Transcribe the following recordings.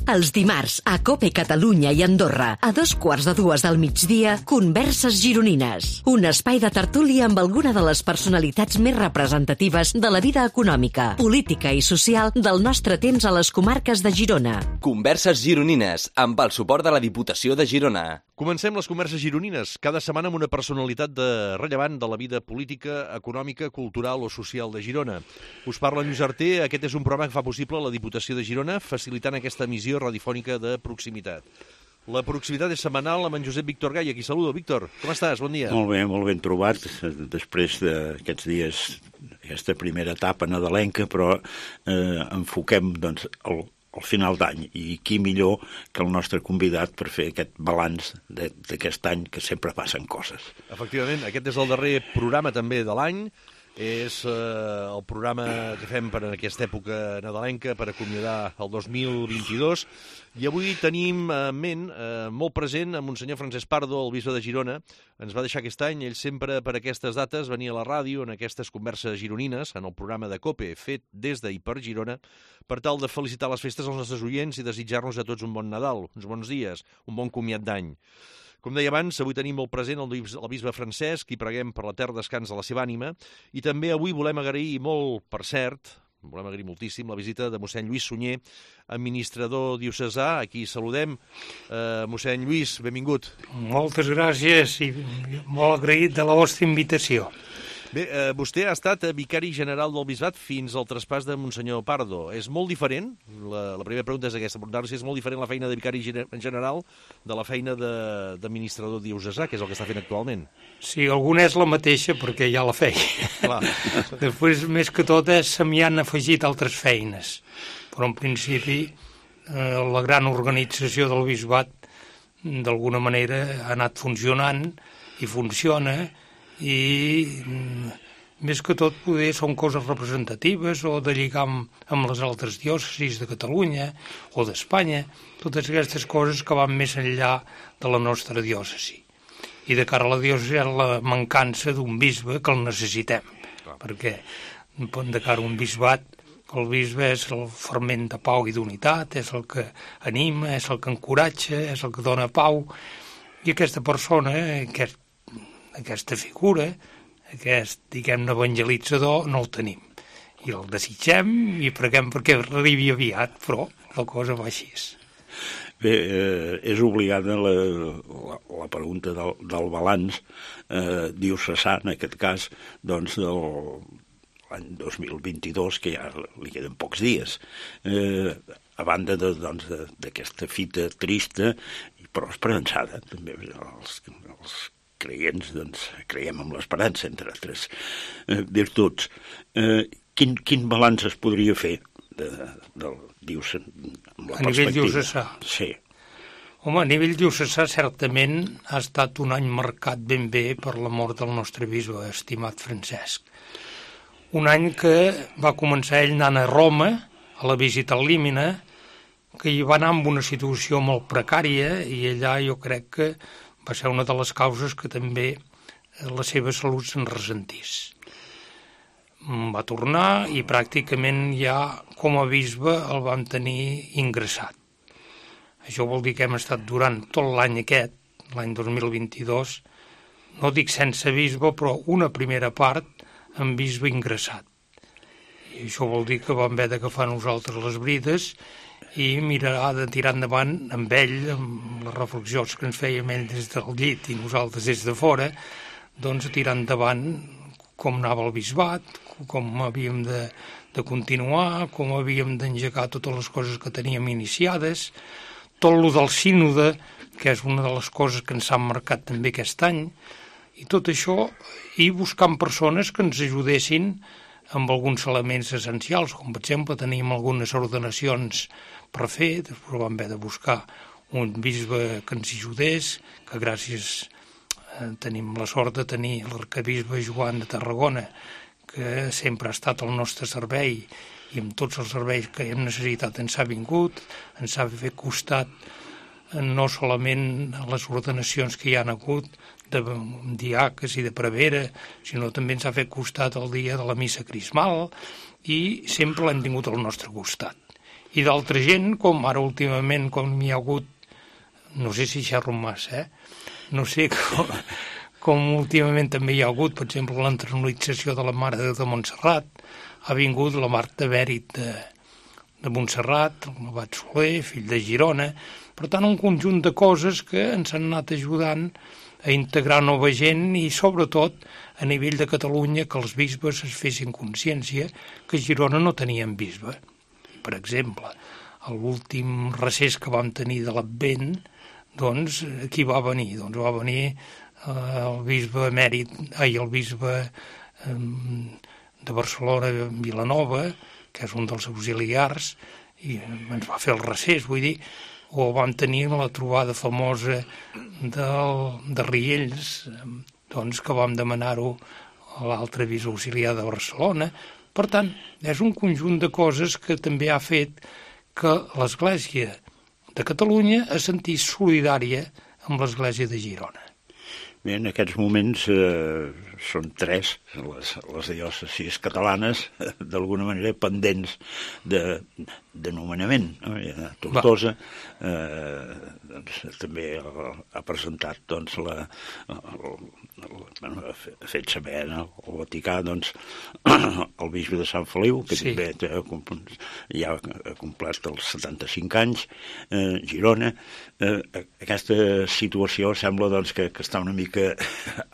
Els dimarts, a COPE Catalunya i Andorra, a 2:15 del migdia, Converses Gironines. Un espai de tertúlia amb alguna de les personalitats més representatives de la vida econòmica, política i social del nostre temps a les comarques de Girona. Converses Gironines, amb el suport de la Diputació de Girona. Comencem les Converses Gironines, cada setmana amb una personalitat rellevant de la vida política, econòmica, cultural o social de Girona. Us parla Lluís Arter, aquest és un programa que fa possible la Diputació de Girona, facilitant aquesta emissió radiofònica de proximitat. La proximitat és setmanal amb en Josep Víctor Gai, aquí saludo. Víctor, com estàs? Bon dia. Molt ben trobat, després d'aquests dies, aquesta primera etapa nadalenca, però enfoquem doncs, al final d'any, i qui millor que el nostre convidat per fer aquest balanç d'aquest any, que sempre passen coses. Efectivament, aquest és el darrer programa també de l'any, és el programa que fem per en aquesta època nadalenca per acomiadar el 2022, i avui tenim en ment molt present a Monsenyor Francesc Pardo, el bisbe de Girona. Ens va deixar aquest any, ell sempre per aquestes dates venia a la ràdio en aquestes converses gironines, en el programa de COPE, fet des i per Girona, per tal de felicitar les festes als nostres oients i desitjar-nos a tots un bon Nadal, uns bons dies, un bon comiat d'any. Com deia abans, avui tenim molt present el bisbe Francesc i preguem per l'etern descans de la seva ànima, i també avui volem agrair molt, per cert, volem agrair moltíssim la visita de mossèn Lluís Sunyer, administrador diocesà. Aquí saludem. Mossèn Lluís, benvingut. Moltes gràcies i molt agraït de la vostra invitació. Bé, vostè ha estat vicari general del bisbat fins al traspàs de Monsenyor Pardo. És molt diferent, la primera pregunta és aquesta, si és molt diferent la feina de vicari general de la feina d'administrador diocesà, que és el que està fent actualment. Sí, alguna és la mateixa perquè ja la feia. Clar. Després, més que tot, se m'hi han afegit altres feines. Però en principi la gran organització del bisbat d'alguna manera ha anat funcionant i funciona, i més que tot poder són coses representatives o de lligar amb les altres diòcesis de Catalunya o d'Espanya, totes aquestes coses que van més enllà de la nostra diòcesi. I de cara a la diòcesi és la mancança d'un bisbe que el necessitem, perquè de cara a un bisbat el bisbe és el ferment de pau i d'unitat, és el que anima, és el que encoratja, és el que dona pau, i aquesta persona, aquesta figura, aquest, diguem-ne, evangelitzador, no el tenim. I el desitgem i preguem perquè arribi aviat, però la cosa va així. Bé, és obligada la pregunta del balanç diocesà, en aquest cas, doncs, de l'any 2022, que ja li queden pocs dies. A banda d'aquesta fita trista, però esperançada, també els creients, doncs, creiem en l'esperança, entre altres virtuts. Quin balanç es podria fer del diocesà? A nivell diocesà? Sí. Home, a nivell diocesà certament ha estat un any marcat ben bé per la mort del nostre bisbe, estimat Francesc. Un any que va començar ell anant a Roma, a la visita al Límina, que hi va anar amb una situació molt precària, i allà jo crec que va ser una de les causes que també la seva salut se'n ressentís. Va tornar i pràcticament ja com a bisbe el vam tenir ingressat. Això vol dir que hem estat durant tot l'any aquest, l'any 2022, no dic sense bisbe, però una primera part amb bisbe ingressat. I això vol dir que vam haver d'agafar nosaltres les brides i mirar de tirar endavant amb ell, amb les reflexions que ens fèiem ell des del llit i nosaltres des de fora, doncs tirar endavant com anava el bisbat, com havíem de continuar, com havíem d'engegar totes les coses que teníem iniciades, tot lo del sínode, que és una de les coses que ens han marcat també aquest any, i tot això, i buscant persones que ens ajudessin amb alguns elements essencials, com per exemple teníem algunes ordenacions per fer, després vam haver de buscar un bisbe que ens ajudés, que gràcies tenim la sort de tenir l'arcabisbe Joan de Tarragona, que sempre ha estat al nostre servei i amb tots els serveis que hem necessitat ens ha vingut, ens ha fet costat no solament les ordenacions que hi han hagut de diaques i de prevera, sinó també ens ha fet costat el dia de la missa crismal i sempre l'hem tingut al nostre costat. I d'altra gent, com ara últimament, com hi ha hagut, no sé si xerro massa, no sé com últimament també hi ha hagut, per exemple, l'entronització de la Mare de Déu de Montserrat, ha vingut la Marta Bèrit de Montserrat, el Abat Soler, fill de Girona. Per tant, un conjunt de coses que ens han anat ajudant a integrar nova gent i, sobretot, a nivell de Catalunya, que els bisbes es fessin consciència que a Girona no tenien bisbe. Per exemple, a l'últim recés que vam tenir de l'Advent, doncs, qui va venir? Doncs va venir el bisbe emèrit, el bisbe de Barcelona, Vilanova, que és un dels auxiliars, i ens va fer el recés, vull dir, o vam tenir la trobada famosa de Riells, doncs que vam demanar-ho a l'altre bisbe auxiliar de Barcelona. Per tant, és un conjunt de coses que també ha fet que l'Església de Catalunya es sentís solidària amb l'Església de Girona. Bé, en aquests moments són 3 les diòcesis catalanes, d'alguna manera pendents de nomenament. No? Tortosa també ha presentat, doncs, ha fet saber al Vaticà, doncs, el bisbe de Sant Feliu, que també ja ha complert els 75 anys, Girona. Aquesta situació sembla, doncs, que està una mica,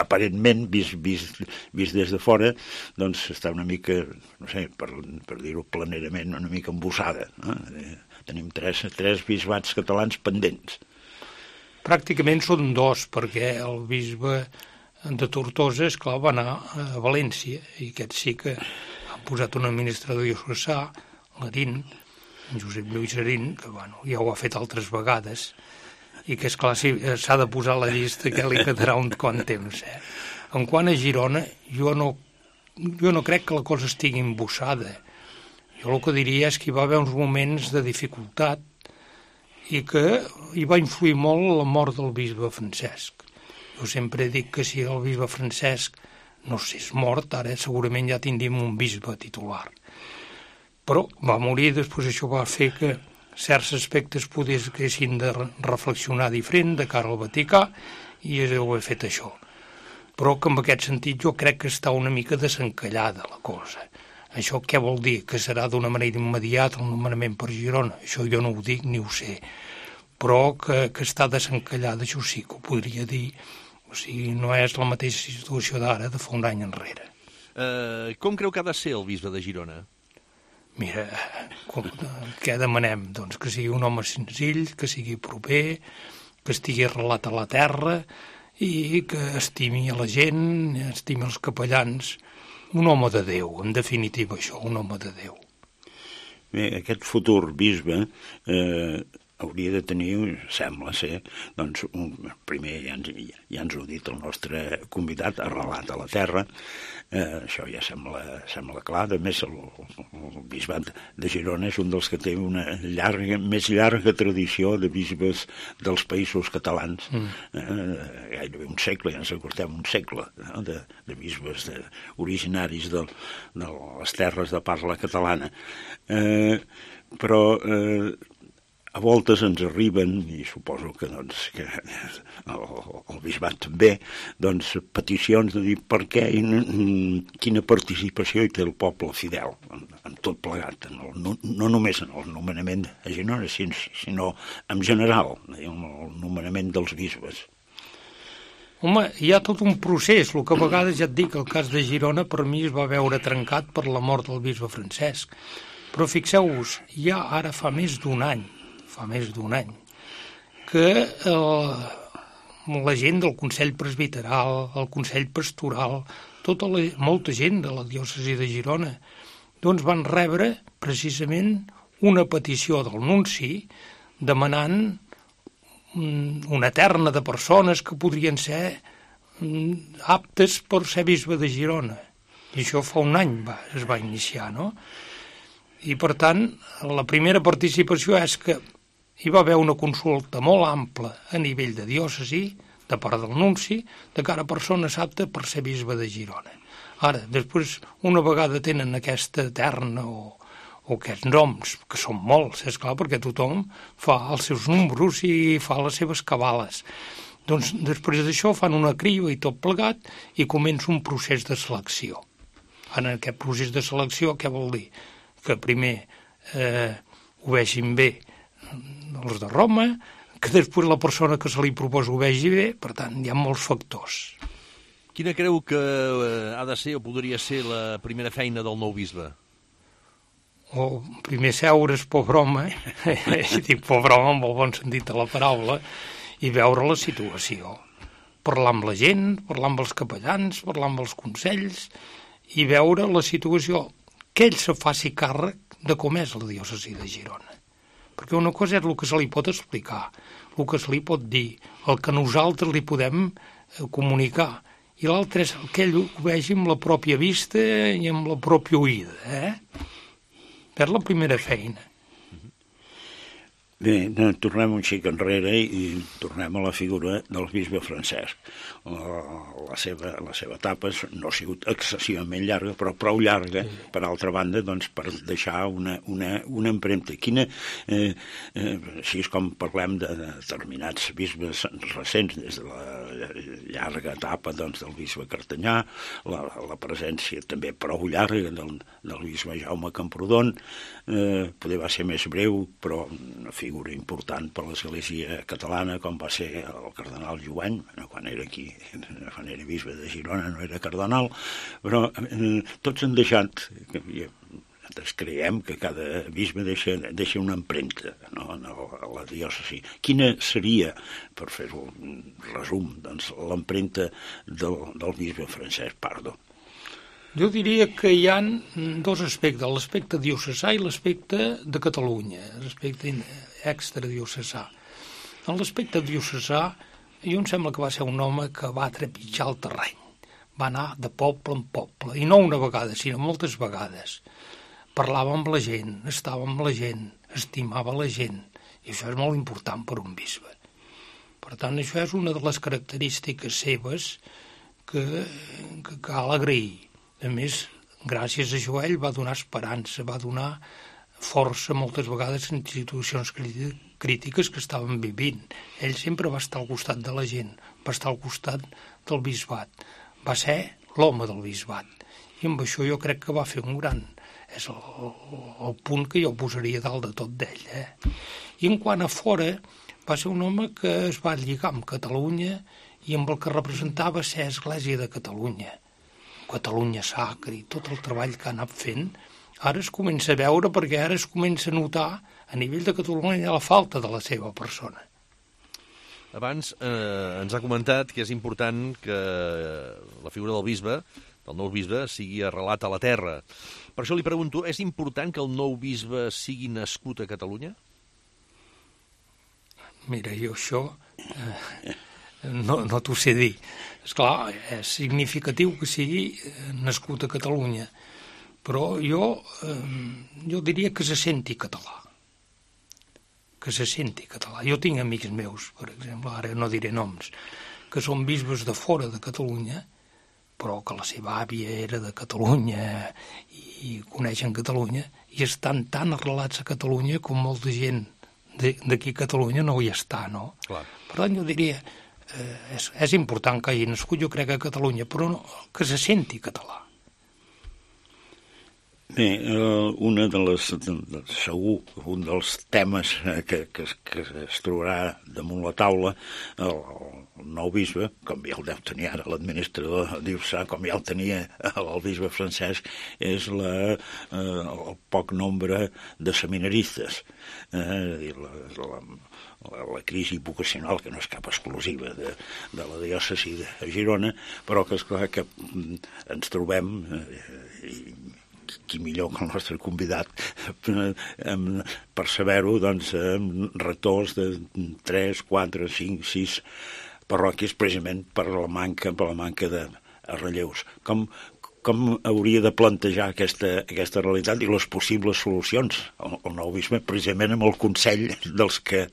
aparentment, vist des de fora, doncs està una mica, no sé, per dir-ho planerament, una mica embossada. No? Tenim 3 bisbats catalans pendents. Pràcticament són 2, perquè el bisbe de Tortosa, esclar, va anar a València, i aquest sí que ha posat un administrador diocesà, l'Arín, Josep Lluís Arín, que bueno, ja ho ha fet altres vegades, i que, esclar, s'ha de posar a la llista que li quedarà un quant temps. En quant a Girona, jo no crec que la cosa estigui embossada. Jo el que diria és que hi va haver uns moments de dificultat i que hi va influir molt la mort del bisbe Francesc. Jo sempre dic que si el bisbe Francesc no s'és mort, ara segurament ja tindríem un bisbe titular. Però va morir, després això va fer que certs aspectes haguessin de reflexionar diferent de cara al Vaticà, i ho he fet això. Però que en aquest sentit jo crec que està una mica desencallada la cosa. Això què vol dir? Que serà d'una manera immediata el nomenament per Girona? Això jo no ho dic ni ho sé. Però que està desencallada, això sí que ho podria dir. O sigui, no és la mateixa situació d'ara, de fa un any enrere. Com creu que ha de ser el bisbe de Girona? Mira, què demanem? Doncs que sigui un home senzill, que sigui proper, que estigui arrelat a la terra i que estimi a la gent, estimi els capellans. Un home de Déu, en definitiva això, un home de Déu. Bé, aquest futur bisbe hauria de tenir, sembla ser, doncs, primer ja ens ho ha dit el nostre convidat, arrelat a la terra, això ja sembla clar. A més, el bisbat de Girona és un dels que té una més llarga tradició de bisbes dels països catalans, gairebé un segle, ja ens acostem un segle, no? de bisbes originaris de les terres de parla catalana. Però a voltes ens arriben, i suposo que el bisbat també, doncs, peticions de dir per què i quina participació hi té el poble fidel en tot plegat, no només en el nomenament a Girona, sinó en general, el nomenament dels bisbes. Home, hi ha tot un procés, el que a vegades ja et dic, el cas de Girona per mi es va veure trencat per la mort del bisbe Francesc. Però fixeu-vos, ja ara fa més d'un any, que la gent del Consell Presbiteral, el Consell Pastoral, molta gent de la diòcesi de Girona, doncs van rebre precisament una petició del nunci demanant una terna de persones que podrien ser aptes per ser bisbe de Girona. I això fa un any es va iniciar, no? I, per tant, la primera participació és que hi va haver una consulta molt ampla a nivell de diòcesi, de part del nunci, de cara a persones aptes per ser bisbe de Girona. Ara, després, una vegada tenen aquesta terna o o aquests noms, que són molts, és clar, perquè tothom fa els seus números i fa les seves cabales. Doncs després d'això fan una criba i tot plegat i comença un procés de selecció. En aquest procés de selecció què vol dir? Que primer ho vegin bé els de Roma, que després la persona que se li proposa ho vegi bé, per tant, hi ha molts factors. Quina creu que ha de ser o podria ser la primera feina del nou bisbe? O primer seure's, pobre home, i dic pobre home amb el bon sentit de la paraula, i veure la situació. Parlar amb la gent, parlar amb els capellans, parlar amb els consells, i veure la situació, que ell se faci càrrec de com és la diòcesi de Girona. Perquè una cosa és el que se li pot explicar, el que se li pot dir, el que nosaltres li podem comunicar, i l'altre és que ell ho vegi amb la pròpia vista i amb la pròpia oïda, És la primera feina. Bé, tornem un xic enrere i tornem a la figura del bisbe Francesc. La seva etapa no ha sigut excessivament llarga, però prou llarga, per altra banda, doncs, per deixar una empremta. Així és com parlem de determinats bisbes recents, des de la llarga etapa doncs, del bisbe Cartanyà, la presència també prou llarga del bisbe Jaume Camprodon, poder va ser més breu, però una figura important per l'Església catalana, com va ser el cardenal Jovany, quan era aquí, quan era bisbe de Girona, no era cardenal, però tots han deixat, nosaltres creiem que cada bisbe deixa una empremta, no, a la diòcesi. Quina seria, per fer-ho un resum, doncs, l'empremta del bisbe Francesc Pardo? Jo diria que hi ha dos aspectes, l'aspecte diocesà i l'aspecte de Catalunya, l'aspecte extradiocesà. En l'aspecte diocesà, jo em sembla que va ser un home que va trepitjar el terreny, va anar de poble en poble, i no una vegada, sinó moltes vegades. Parlava amb la gent, estava amb la gent, estimava la gent, i això és molt important per un bisbe. Per tant, això és una de les característiques seves que cal agrair. A més, gràcies a això ell va donar esperança, va donar força moltes vegades en situacions crítiques que estaven vivint. Ell sempre va estar al costat de la gent, va estar al costat del bisbat, va ser l'home del bisbat. I amb això jo crec que va fer un gran... És el punt que jo posaria dalt de tot d'ell. I en quant a fora, va ser un home que es va lligar amb Catalunya i amb el que representava ser Església de Catalunya. Catalunya Sacra i tot el treball que ha anat fent, ara es comença a veure perquè ara es comença a notar a nivell de Catalunya la falta de la seva persona. Abans ens ha comentat que és important que la figura del bisbe, del nou bisbe, sigui arrelat a la terra. Per això li pregunto, és important que el nou bisbe sigui nascut a Catalunya? Mira, jo això no t'ho sé dir. Esclar, és significatiu que sigui nascut a Catalunya, però jo diria que se senti català. Que se senti català. Jo tinc amics meus, per exemple, ara no diré noms, que són bisbes de fora de Catalunya, però que la seva àvia era de Catalunya i coneixen Catalunya i estan tan arrelats a Catalunya com molta gent d'aquí a Catalunya no hi està, no? Clar. Per tant, jo diria, és important que hagi nascut, jo crec, a Catalunya, però no, que se senti català. Bé, segur, un dels temes que es trobarà damunt la taula, el nou bisbe, com ja el deu tenir ara l'administrador diocesà, com ja el tenia el bisbe Francesc, és el poc nombre de seminaristes. La crisi vocacional, que no és cap exclusiva de la diòcesi de Girona, però que és clar que ens trobem, qui millor que el nostre convidat per saber-ho, doncs, rectors de 3, 4, 5, 6 parròquies, precisament per la manca de relleus. Com hauria de plantejar aquesta realitat i les possibles solucions el nou bisbe, precisament amb el consell dels que,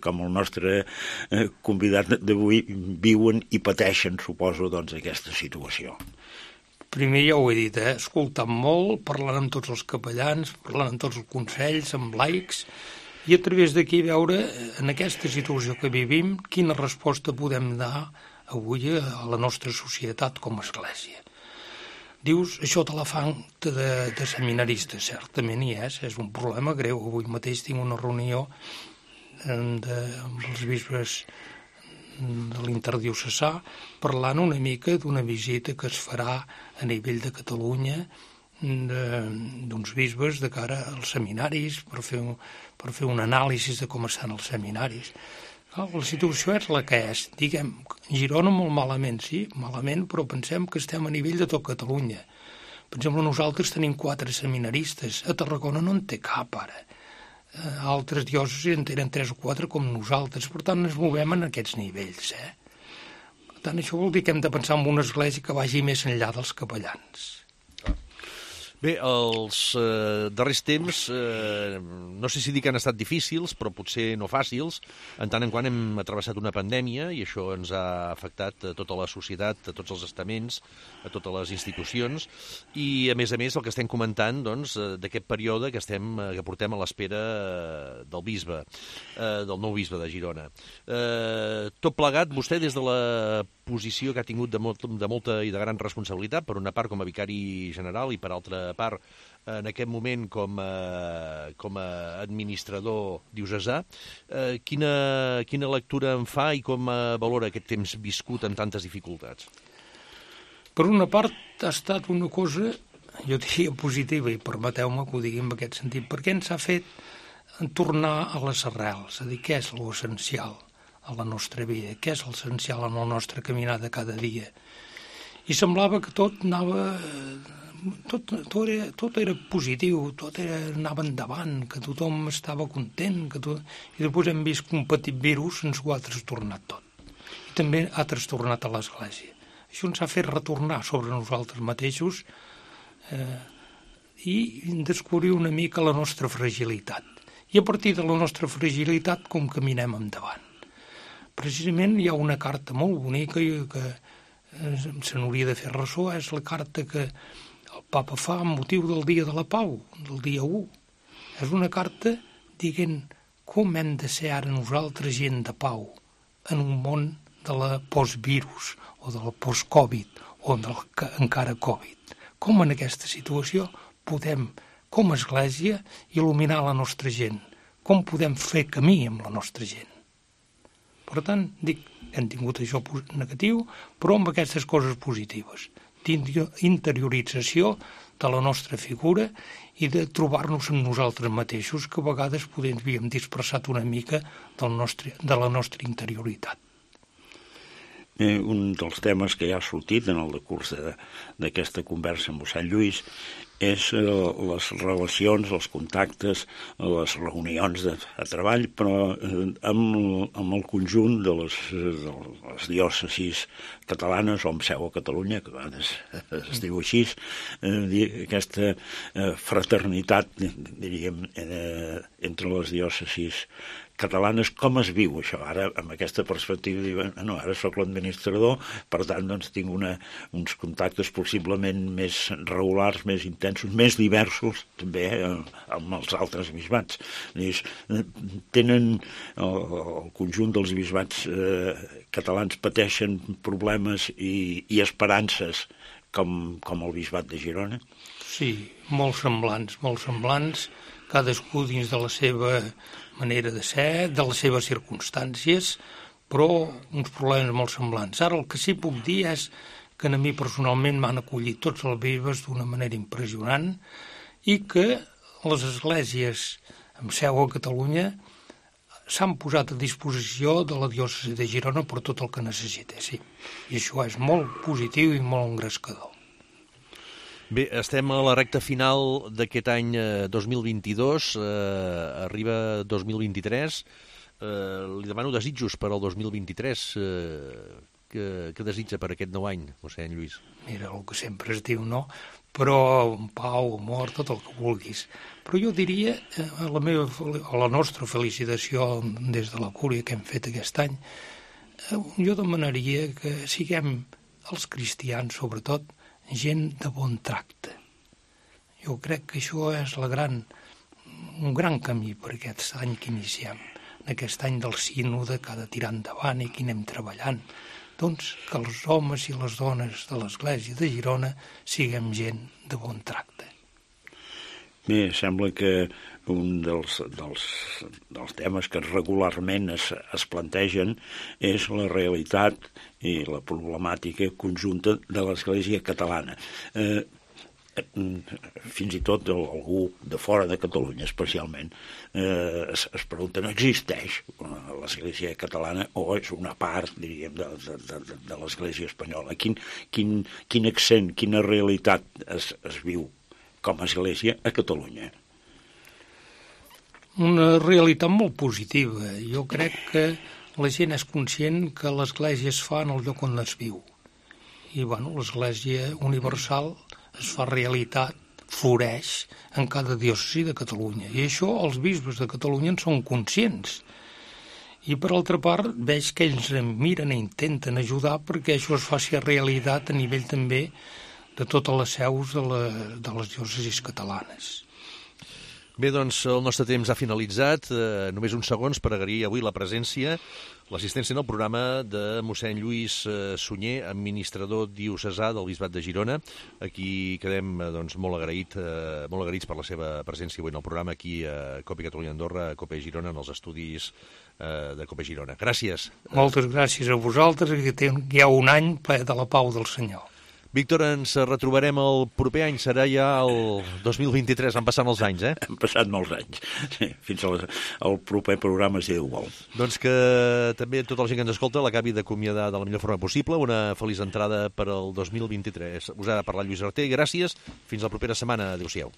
com el nostre convidat d'avui, viuen i pateixen, suposo, doncs, aquesta situació? Primer ja ho he dit, escoltant molt, parlant amb tots els capellans, parlant amb tots els consells, amb laics, i a través d'aquí veure, en aquesta situació que vivim, quina resposta podem dar avui a la nostra societat com a església. Dius, això de la falta de seminaristes, certament hi és un problema greu. Avui mateix tinc una reunió amb els bisbes de l'interdiocesà parlant una mica d'una visita que es farà a nivell de Catalunya d'uns bisbes de cara als seminaris per fer un anàlisi de com estan els seminaris. La situació és la que és. Diguem, Girona molt malament, sí, malament, però pensem que estem a nivell de tot Catalunya. Per exemple, nosaltres tenim 4 seminaristes. A Tarragona no en té cap, ara. Altres diòcesis en tenen 3 o 4 com nosaltres. Per tant, ens movem en aquests nivells. Per tant, això vol dir que hem de pensar en una església que vagi més enllà dels capellans. Bé, els darrers temps, no sé si dir que han estat difícils, però potser no fàcils. En tant en quant hem travessat una pandèmia i això ens ha afectat a tota la societat, a tots els estaments, a totes les institucions. I, a més, el que estem comentant doncs, d'aquest període que portem a l'espera del bisbe, del nou bisbe de Girona. Tot plegat, vostè, des de la posició que ha tingut de molta i de gran responsabilitat, per una part com a vicari general i per altra part en aquest moment com a administrador diocesà, quina lectura en fa i com valora aquest temps viscut amb tantes dificultats? Per una part ha estat una cosa, jo diria positiva, i permeteu-me que ho digui en aquest sentit, perquè ens ha fet tornar a les arrels, és a dir, què és l'essencial a la nostra vida, què és l'essencial en el nostre caminar de cada dia. I semblava que tot anava... Tot era positiu, tot anava endavant, que tothom estava content, i després hem vist que un petit virus ens ho ha trastornat tot. I també ha trastornat a l'Església. Això ens ha fet retornar sobre nosaltres mateixos i descobrir una mica la nostra fragilitat. I a partir de la nostra fragilitat, com caminem endavant. Precisament hi ha una carta molt bonica que se n'hauria de fer ressò, és la carta que el papa fa amb motiu del Dia de la Pau, del dia 1. És una carta dient com hem de ser ara nosaltres gent de pau en un món de la postvirus o de la post-Covid o del encara Covid. Com en aquesta situació podem, com a Església, il·luminar la nostra gent? Com podem fer camí amb la nostra gent? Per tant, dic, hem tingut això negatiu, però amb aquestes coses positives, d'interiorització de la nostra figura i de trobar-nos amb nosaltres mateixos, que a vegades podem havíem dispersat una mica de la nostra interioritat. Un dels temes que ja ha sortit en el decurs d'aquesta conversa amb Sant Lluís és les relacions, els contactes, les reunions de treball, però amb el conjunt de les diòcesis catalanes o amb seu a Catalunya, que a vegades es diu així, aquesta fraternitat, diríem, entre les diòcesis catalanes. Com es viu això? Ara, amb aquesta perspectiva, diuen, no, ara sóc l'administrador, per tant, doncs, tinc uns contactes possiblement més regulars, més intensos, més diversos, també, amb els altres bisbats. Tenen el conjunt dels bisbats catalans pateixen problemes i esperances com el bisbat de Girona? Sí, molt semblants, cadascú dins de la seva manera de ser, de les seves circumstàncies, però uns problemes molt semblants. Ara el que sí puc dir és que a mi personalment m'han acollit tots els bisbes d'una manera impressionant i que les esglésies amb seu a Catalunya s'han posat a disposició de la diòcesi de Girona per tot el que necessita, sí. I això és molt positiu i molt engrescador. Bé, estem a la recta final d'aquest any 2022, arriba 2023. Li demano desitjos per al 2023. Què desitja per aquest nou any, mossèn Lluís? Mira, el que sempre es diu, no? Però pau, amor, tot el que vulguis. Però jo diria, la nostra felicitació des de la cúria que hem fet aquest any, jo demanaria que siguem els cristians, sobretot, gent de bon tracte. Jo crec que això és un gran camí per aquest any que iniciem, aquest any del sínode que ha de tirar endavant i que anem treballant. Doncs que els homes i les dones de l'Església de Girona siguem gent de bon tracte. Bé, sembla que un dels temes que regularment es plantegen és la realitat i la problemàtica conjunta de l'Església catalana. Fins i tot algú de fora de Catalunya especialment es pregunta, no existeix l'Església catalana o és una part, diríem, de l'Església espanyola? Quin accent, quina realitat es viu com a Església a Catalunya? Una realitat molt positiva. Jo crec que la gent és conscient que l'Església es fa en el lloc on es viu. I, l'Església universal es fa realitat, floreix en cada diòcesi de Catalunya. I això els bisbes de Catalunya en són conscients. I, per altra part, veig que ells miren i intenten ajudar perquè això es faci realitat a nivell també de totes les seus de les diòcesis catalanes. Bé, doncs el nostre temps ha finalitzat. Només uns segons per agrair avui la presència, l'assistència en el programa de mossèn Lluís Sunyer, administrador diocesà del Bisbat de Girona. Aquí quedem molt agraïts per la seva presència avui en el programa aquí a COPE Catalunya Andorra, a COPE Girona, en els estudis de COPE Girona. Gràcies. Moltes gràcies a vosaltres, que hi ha un any ple de la pau del Senyor. Víctor, ens retrobarem el proper any, serà ja el 2023, han passat molts anys, Han passat molts anys, fins al proper programa, si Déu vol. Doncs que també tota la gent que ens escolta l'acabi d'acomiadar de la millor forma possible, una feliç entrada per al 2023. Us ha parlat Lluís Arter, gràcies, fins la propera setmana, adéu-siau.